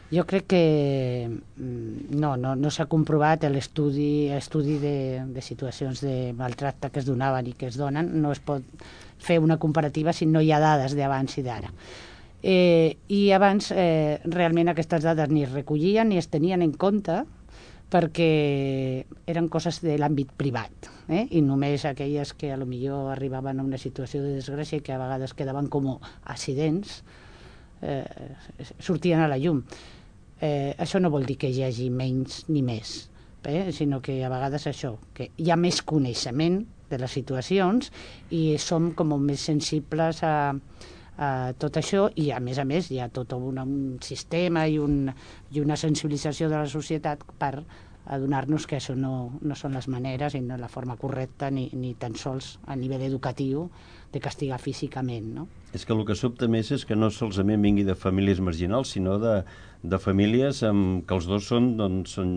Jo crec que no, no, no s'ha comprovat l'estudi estudi de, de situacions de maltracte que es donaven i que es donen. No es pot fer una comparativa si no hi ha dades d'abans i d'ara. Eh, I abans eh, realment aquestes dades ni es recollien ni es tenien en compte perquè eren coses de l'àmbit privat, eh? I només aquelles que a lo millor arribaven a una situació de desgràcia i que a vegades quedaven com accidents eh, sortien a la llum. Eh, això no vol dir que hi hagi menys ni més, eh? Sinó que a vegades això, que hi ha més coneixement de les situacions i som com més sensibles a, a tot això, i a més a més hi ha tot un, un sistema i, un, i una sensibilització de la societat per adonar-nos que això no, no són les maneres i no la forma correcta ni, ni tan sols a nivell educatiu de castigar físicament, no? És que el que sobta més és que no solament vingui de famílies marginals, sinó de, de famílies amb, que els dos són, doncs, són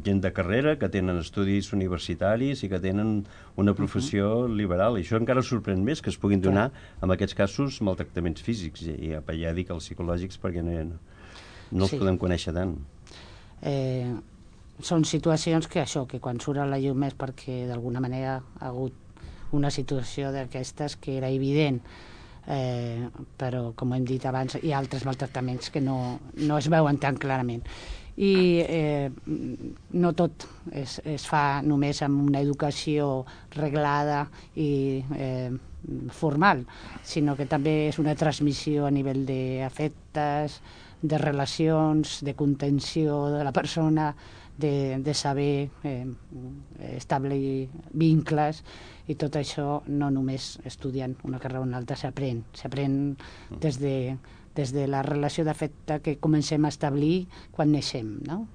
gent de carrera, que tenen estudis universitaris i que tenen una professió uh-huh. liberal. I això encara sorprèn més, que es puguin donar, en aquests casos, maltractaments físics. I ja, ja dic els psicològics perquè no, no, no els sí. podem conèixer tant. Eh, són situacions que això, que quan surt a la llum és perquè d'alguna manera ha hagut una situació d'aquestes que era evident, eh, però com hem dit abans hi ha altres maltractaments que no, no es veuen tan clarament, i eh, no tot es, es fa només amb una educació reglada i eh, formal, sinó que també és una transmissió a nivell d'afectes, de relacions, de contenció de la persona, de, de saber eh, establir vincles, i tot això no només estudiant una carrera o una altra s'aprèn, s'aprèn des de, des de la relació d'afecte que comencem a establir quan neixem, no?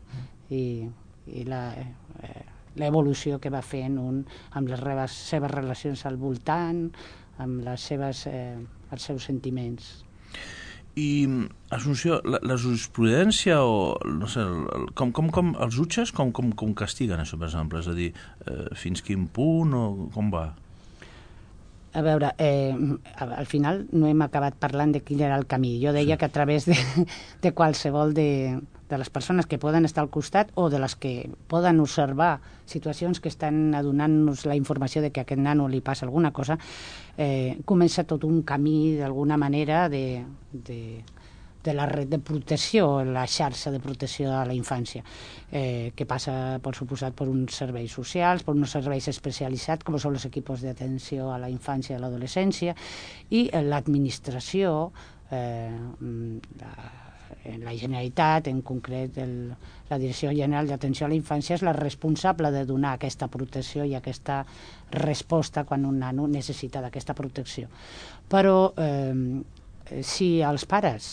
I, i la, eh, l'evolució que va fent un amb les seves relacions al voltant, amb les seves, eh, els seus sentiments. I, Assumpció, la, la jurisprudència o, no sé, el, com, com, com els jutges com, com, com castiguen això, per exemple? És a dir, eh, fins quin punt o com va? A veure, eh, al final no hem acabat parlant de quin era el camí. Jo deia sí. que a través de, de qualsevol de, de les persones que poden estar al costat o de les que poden observar situacions que estan adonant-nos la informació de que a aquest nano li passa alguna cosa, eh, comença tot un camí d'alguna manera de, de, de la red de protecció, la xarxa de protecció a la infància, eh, que passa, per suposat, per uns serveis socials, per uns serveis especialitzats, com són els equipos d'atenció a la infància i a l'adolescència, i l'administració, eh, la, la Generalitat, en concret el, la Direcció General d'Atenció a la Infància, és la responsable de donar aquesta protecció i aquesta resposta quan un nano necessita d'aquesta protecció. Però eh, si els pares,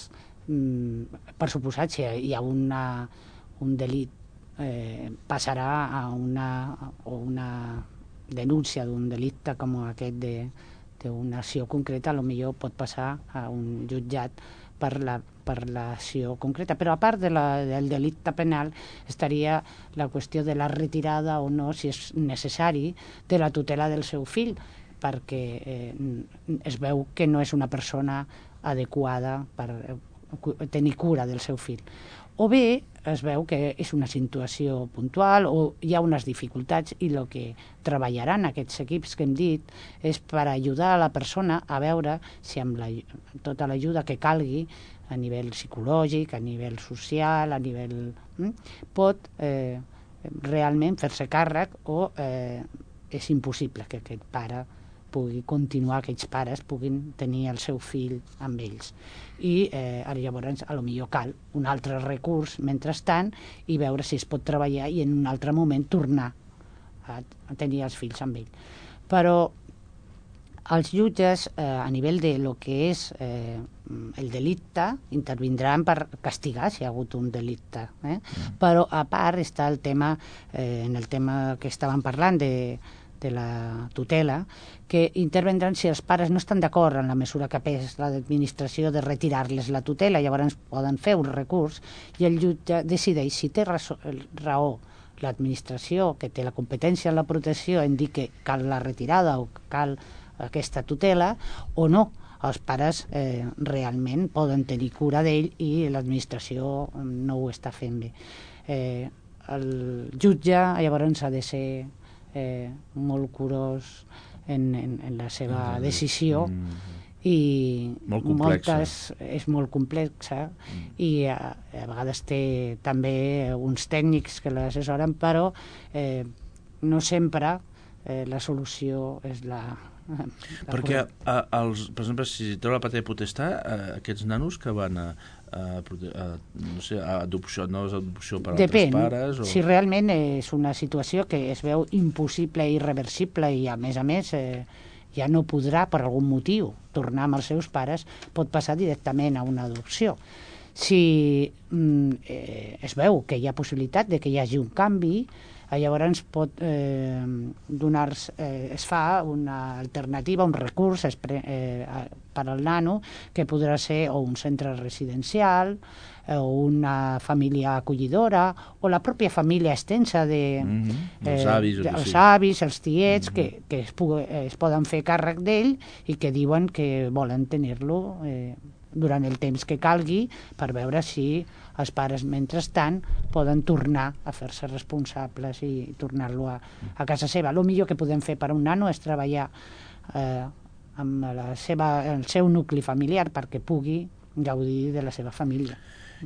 per suposat, si hi ha una, un delit, eh, passarà a una, o una denúncia d'un delicte com aquest d'una acció concreta, potser pot passar a un jutjat per la per l'acció concreta. Però a part de la, del delicte penal estaria la qüestió de la retirada o no, si és necessari, de la tutela del seu fill, perquè eh, es veu que no és una persona adequada per tenir cura del seu fill. O bé es veu que és una situació puntual o hi ha unes dificultats i el que treballaran aquests equips que hem dit és per ajudar a la persona a veure si amb la, tota l'ajuda que calgui a nivell psicològic, a nivell social, a nivell... Mm, pot eh, realment fer-se càrrec o eh, és impossible que aquest pare pugui continuar, aquests pares puguin tenir el seu fill amb ells. I eh, llavors, a lo millor cal un altre recurs mentrestant i veure si es pot treballar i en un altre moment tornar a, a tenir els fills amb ell. Però els jutges, eh, a nivell de lo que és eh, el delicte, intervindran per castigar si hi ha hagut un delicte. Eh? Però a part està el tema, eh, en el tema que estàvem parlant de de la tutela, que intervendran si els pares no estan d'acord en la mesura que pes l'administració de retirar-les la tutela, llavors poden fer un recurs i el jutge decideix si té raó l'administració, que té la competència en la protecció, en dir que cal la retirada o cal aquesta tutela, o no. Els pares eh, realment poden tenir cura d'ell i l'administració no ho està fent bé. Eh, el jutge llavors ha de ser Eh, molt curós en, en, en la seva decisió mm. i molt moltes, és molt complexa mm. i a, a vegades té també uns tècnics que l'assessoren, però eh, no sempre eh, la solució és la... la perquè, a, els, per exemple, si treu la patria potestat, aquests nanos que van a, a, a, no sé, a adopció, no és adopció per Depèn, altres pares? O... si realment és una situació que es veu impossible i irreversible i, a més a més, eh, ja no podrà, per algun motiu, tornar amb els seus pares, pot passar directament a una adopció. Si mm, eh, es veu que hi ha possibilitat de que hi hagi un canvi, llavors pot eh, donar eh, es fa una alternativa, un recurs espre, eh, per al nano, que podrà ser o un centre residencial eh, o una família acollidora o la pròpia família extensa de, mm-hmm. els avis, eh, els, avis els tiets, mm-hmm. que, que es, pugui, es poden fer càrrec d'ell i que diuen que volen tenir-lo eh, durant el temps que calgui per veure si els pares, mentrestant, poden tornar a fer-se responsables i tornar-lo a, a casa seva. El millor que podem fer per a un nano és treballar eh, amb la seva, el seu nucli familiar perquè pugui gaudir de la seva família.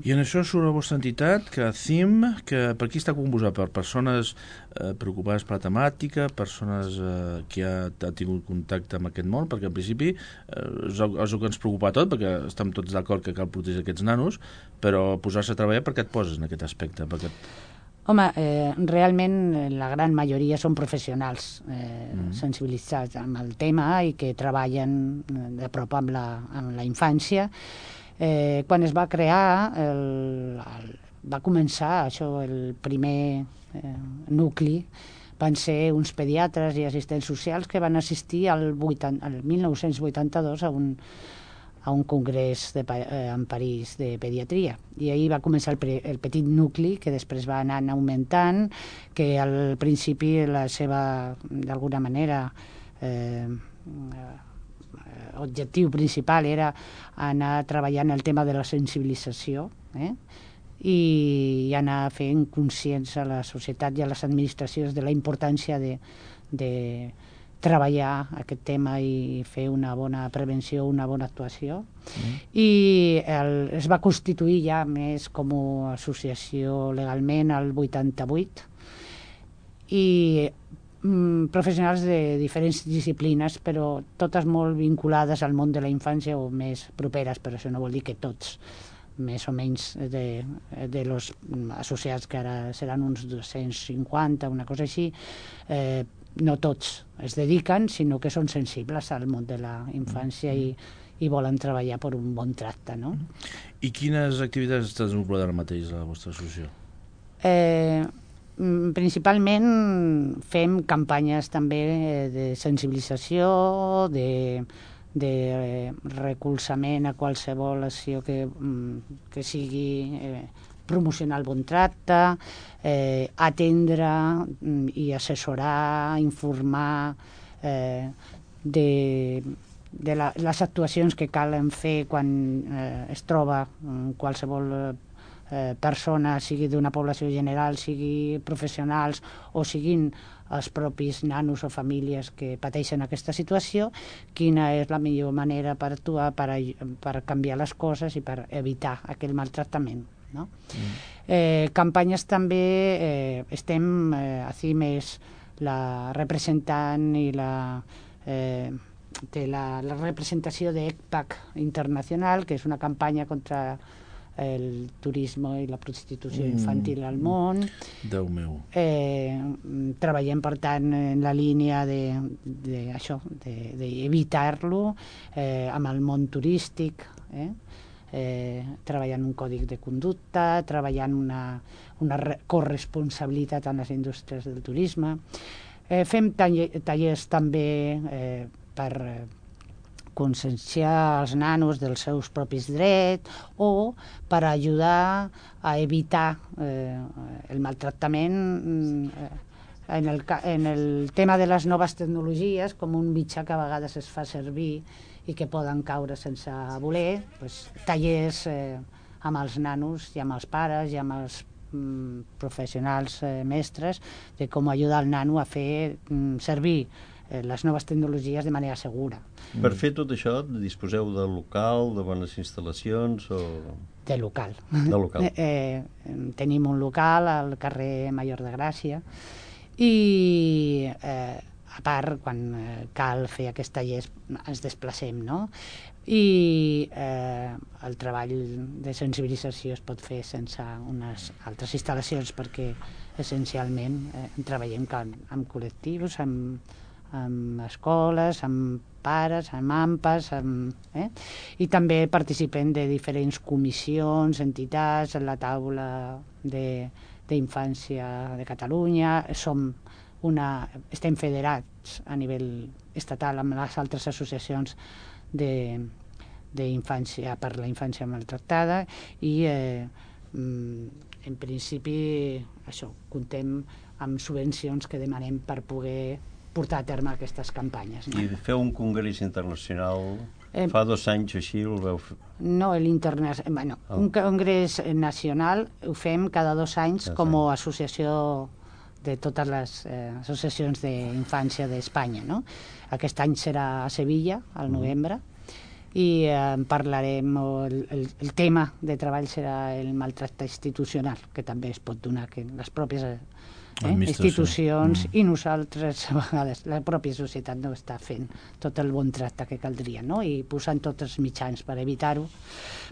I en això surt la vostra entitat, que C I M, que per qui està composat? Per persones eh, preocupades per la temàtica, persones eh, que ha, ha tingut contacte amb aquest món, perquè en principi eh, és, el, és el que ens preocupa tot, perquè estem tots d'acord que cal protegir aquests nanos, però posar-se a treballar, per què et poses en aquest aspecte? Perquè... Home, eh, realment la gran majoria són professionals eh, mm. sensibilitzats amb el tema i que treballen de prop amb la, amb la infància. Eh, quan es va crear, el, el, va començar això, el primer eh, nucli van ser uns pediatres i assistents socials que van assistir al, vuitanta, al mil nou-cents vuitanta-dos a un, a un congrés de, eh, en París de pediatria. I ahir va començar el, pre, el petit nucli, que després va anar augmentant, que al principi la seva, d'alguna manera, eh, objectiu principal era anar treballant el tema de la sensibilització, eh? I anar fent conscients a la societat i a les administracions de la importància de, de treballar aquest tema i fer una bona prevenció, una bona actuació. Mm. I el, es va constituir ja més com a associació legalment al vuitanta-vuit i mm, professionals de diferents disciplines, però totes molt vinculades al món de la infància o més properes, però això no vol dir que tots, més o menys de, de los associats, que ara seran uns dos-cents cinquanta, una cosa així, eh, no tots es dediquen, sinó que són sensibles al món de la infància i, i volen treballar per un bon tracte, no? I quines activitats estàs desenvolupant ara mateix a la vostra associació? Eh, principalment fem campanyes també de sensibilització, de de recolzament a qualsevol acció que, que sigui eh, promocionar el bon tracte, eh, atendre i assessorar, informar eh, de, de la, les actuacions que calen fer quan eh, es troba qualsevol eh, persona, sigui d'una població general, sigui professionals o siguin els propis nanos o famílies que pateixen aquesta situació, quina és la millor manera per actuar, per, per canviar les coses i per evitar aquell maltractament, no? Mm. Eh, campanyes també, eh, estem, eh, a CIMES, la representant i la, eh, de la, la representació de ECPAC Internacional, que és una campanya contra el turisme i la prostitució infantil al món. Déu meu. Eh, treballem, per tant, en la línia de, de això, d'evitar-lo, eh, amb el món turístic, eh? Eh, treballant un còdic de conducta, treballant una, una corresponsabilitat en les indústries del turisme. Eh, fem tallers també eh, per conscienciar els nanos dels seus propis drets o per ajudar a evitar eh, el maltractament eh, en, el, en el tema de les noves tecnologies com un mitjà que a vegades es fa servir i que poden caure sense voler, doncs, tallers eh, amb els nanos i amb els pares i amb els mm, professionals eh, mestres de com ajudar el nano a fer mm, servir les noves tecnologies de manera segura. Per fer tot això, disposeu de local, de bones instal·lacions o...? De local. De local. Eh, tenim un local al carrer Major de Gràcia i, eh, a part, quan cal fer aquests tallers, ens desplacem, no? I eh, el treball de sensibilització es pot fer sense unes altres instal·lacions perquè, essencialment, eh, treballem amb col·lectius, amb amb escoles, amb pares, amb AMPAs, amb, eh? i també participem de diferents comissions, entitats, en la taula d'infància de, de Catalunya, som una, estem federats a nivell estatal amb les altres associacions de, d'infància per la infància maltractada i eh, en principi això, comptem amb subvencions que demanem per poder portar a terme aquestes campanyes. No? I feu un congrés internacional, eh, fa dos anys així el veu fer? No, l'interna... bueno, oh. un congrés nacional ho fem cada dos anys ja com a associació de totes les eh, associacions d'infància d'Espanya. No? Aquest any serà a Sevilla, al novembre, mm. i eh, parlarem, el, el, el tema de treball serà el maltracte institucional, que també es pot donar que les pròpies eh, institucions mm. i nosaltres, a vegades, la pròpia societat no està fent tot el bon tracte que caldria, no? I posant tots els mitjans per evitar-ho,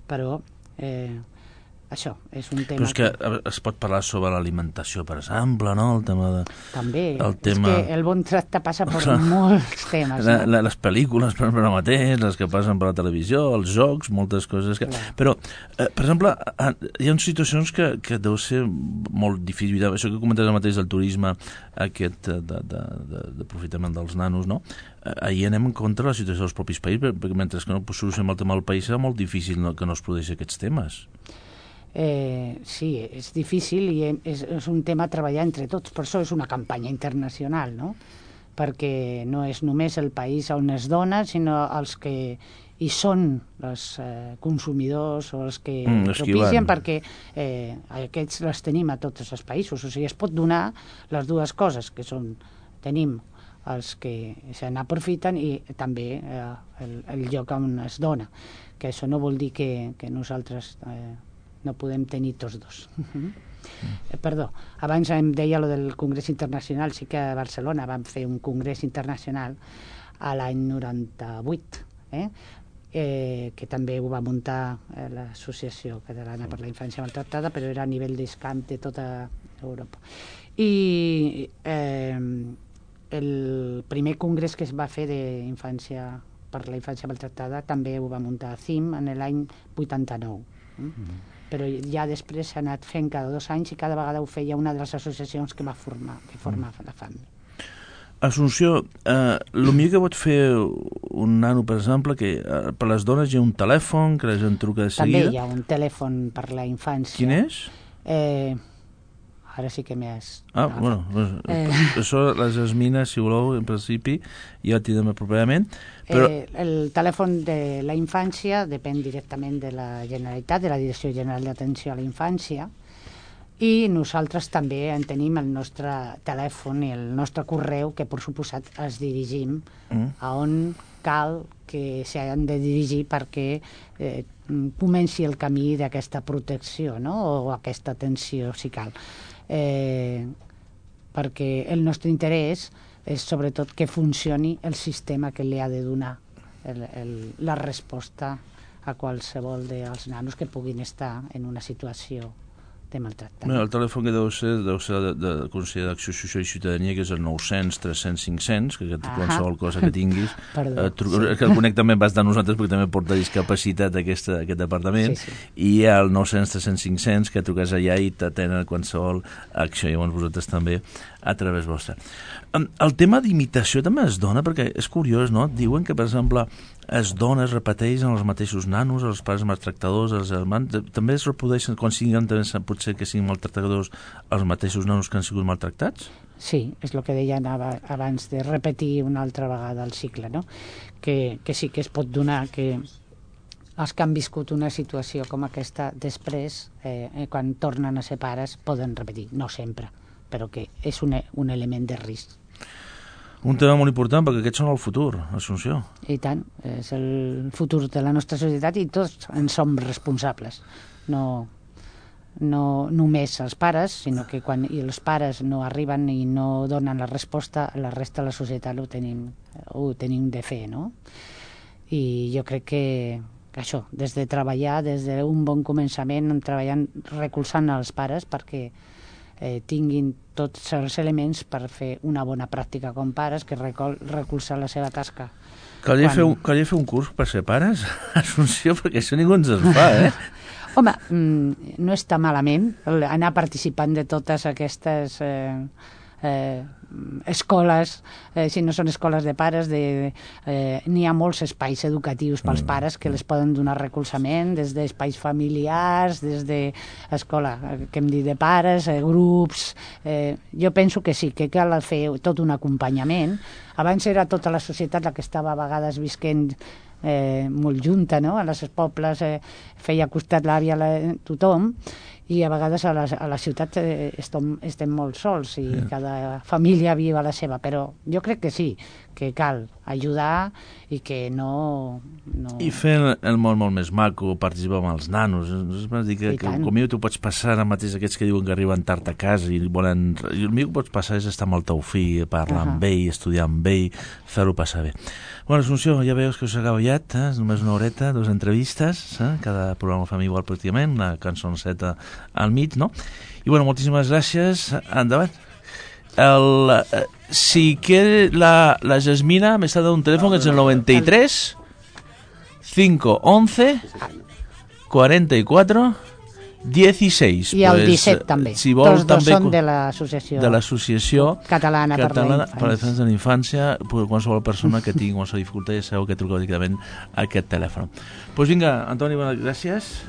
però eh, això és un tema... Però és que, que es pot parlar sobre l'alimentació, per exemple, no? El tema de... També, el tema... és que el bon tracte passa per molts temes. La, no? la, les pel·lícules, per exemple, mateix, les que passen per la televisió, els jocs, moltes coses que... Clar. Però, eh, per exemple, hi ha situacions que, que deu ser molt difícil. Això que comentes el mateix del turisme, aquest d'aprofitament de, de, dels nanos, no? Ahir anem en contra de la situació dels propis països, perquè mentre que no solucionem el tema del país serà molt difícil no, que no es produeixin aquests temes. Eh, sí, és difícil i és, és un tema a treballar entre tots, per això és una campanya internacional, no? Perquè no és només el país on es dona, sinó els que hi són els eh, consumidors o els que mm, propicien, perquè eh, aquests les tenim a tots els països, o sigui, es pot donar les dues coses, que són, tenim els que se n'aprofiten i també eh, el, el lloc on es dona, que això no vol dir que, que nosaltres... Eh, no podem tenir tots dos. Mm. Perdó, abans em deia lo del Congrés Internacional, sí que a Barcelona vam fer un congrés internacional a l'any noranta-vuit, eh? Eh, que també ho va muntar eh, l'Associació Catalana per la Infància Maltractada, però era a nivell d'escamp de tota Europa. I eh, el primer congrés que es va fer d'infància per la infància maltractada també ho va muntar a C I M en l'any vuitanta-nou. Mm? Mm. Però ja després s'ha anat fent cada dos anys i cada vegada ho feia una de les associacions que va formar, que formava la F A M. Assumpció, eh, el millor que pot fer un nano, per exemple, que eh, per les dones hi ha un telèfon que la gent truca de seguida. També hi ha un telèfon per la infància. Quin és? Eh, ara sí que m'has... Ah, ah, bueno, pues, eh. això les esmines, si voleu, en principi, ja tindrem properament. Però... Eh, el telèfon de la infància depèn directament de la Generalitat, de la Direcció General d'Atenció a la Infància, i nosaltres també en tenim el nostre telèfon i el nostre correu, que per suposat es dirigim mm. a on cal que s'han de dirigir perquè eh, comenci el camí d'aquesta protecció, no? O aquesta atenció, si cal. Eh, perquè el nostre interès és sobretot que funcioni el sistema que li ha de donar el, el, la resposta a qualsevol dels nanos que puguin estar en una situació de maltractament. Bé, el telèfon que deu ser, deu ser de, de Consell d'Acció Social i Ciutadania, que és el nou-cents tres cents cinc cents, que ah qualsevol cosa que tinguis eh, sí. que el conec també vas de nosaltres perquè també porta discapacitat aquest, aquest departament, sí, sí. I hi ha el nou-cents tres cents cinc cents que truques allà i t'atenen qualsevol acció, i llavors vosaltres també a través vostra. El tema d'imitació també es dona, perquè és curiós, no? Diuen que, per exemple, es dona, es repeteixen els mateixos nanos, els pares maltractadors, els germans, també es reprodueixen quan siguin, potser que siguin maltractadors, els mateixos nanos que han sigut maltractats? Sí, és el que deien abans de repetir una altra vegada el cicle, no? Que, que sí que es pot donar que els que han viscut una situació com aquesta després, eh, quan tornen a ser pares, poden repetir, no sempre, però que és un, un element de risc. Un tema molt important, perquè aquests són el futur, Assumpció. I tant, és el futur de la nostra societat i tots en som responsables. No, no només els pares, sinó que quan els pares no arriben i no donen la resposta, la resta de la societat ho tenim, ho tenim de fer, no? I jo crec que, que això, des de treballar, des d'un bon començament, treballant, recolzant els pares perquè eh, tinguin tots els elements per fer una bona pràctica com pares, que recol recolzar la seva tasca. Calia, Quan... fer un, calia fer un curs per ser pares, Assumpció, perquè això ningú ens es fa, eh? Home, no està malament anar participant de totes aquestes eh, eh, escoles, eh, si no són escoles de pares, de, eh, n'hi ha molts espais educatius pels pares que les poden donar recolzament, des d'espais familiars, des d'escola, que hem dit, de pares, eh, grups... Eh, jo penso que sí, que cal fer tot un acompanyament. Abans era tota la societat la que estava a vegades visquent eh, molt junta, no? A les pobles eh, feia costat l'àvia a tothom, i a vegades a la, a la ciutat eh, estem, estem molt sols i yeah. cada família viu a la seva, però jo crec que sí, que cal ajudar i que no... no... I fent el món molt més maco, participar amb els nanos. És dir que, que com tu pots passar ara mateix aquests que diuen que arriben tard a casa i volen... I el millor que pots passar és estar amb el teu fill, parlar uh -huh. amb ell, estudiar amb ell, fer-ho passar bé. Bueno, Assumpció, ja veus que us acaba ja, eh? Només una horeta, dues entrevistes, eh? Cada programa fa igual pràcticament, una cançonceta al mig, no? I bueno, moltíssimes gràcies, endavant. El, eh, si que la, la Jasmina m'està dando un teléfono que es el noventa y tres cinco once cuarenta y cuatro dieciséis. I el pues, disset també. Si vol, Tots dos també són de l'associació de l'associació catalana, catalana per, per la defensa de la infància. Qualsevol persona que tingui qualsevol dificultat ja sabeu que truqueu directament a aquest telèfon. Doncs pues vinga, Antoni, bones gràcies.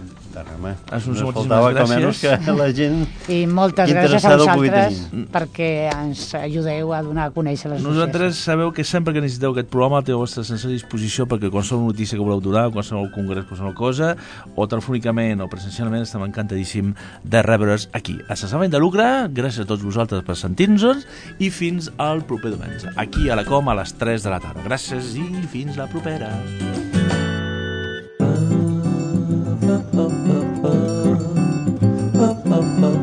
Assumpció, no faltava com menys que la gent i moltes gràcies a vosaltres perquè ens ajudeu a donar a conèixer les nosaltres. Sabeu que sempre que necessiteu aquest programa té a vostra sense disposició perquè qualsevol notícia que voleu donar, qualsevol congrés, qualsevol cosa, o telefònicament o presencialment, estem encantadíssim de rebre's aquí a Sense de Lucre. Gràcies a tots vosaltres per sentir-nos i fins al proper diumenge aquí a la Com a les tres de la tarda. Gràcies i fins la propera. Oh, oh, oh.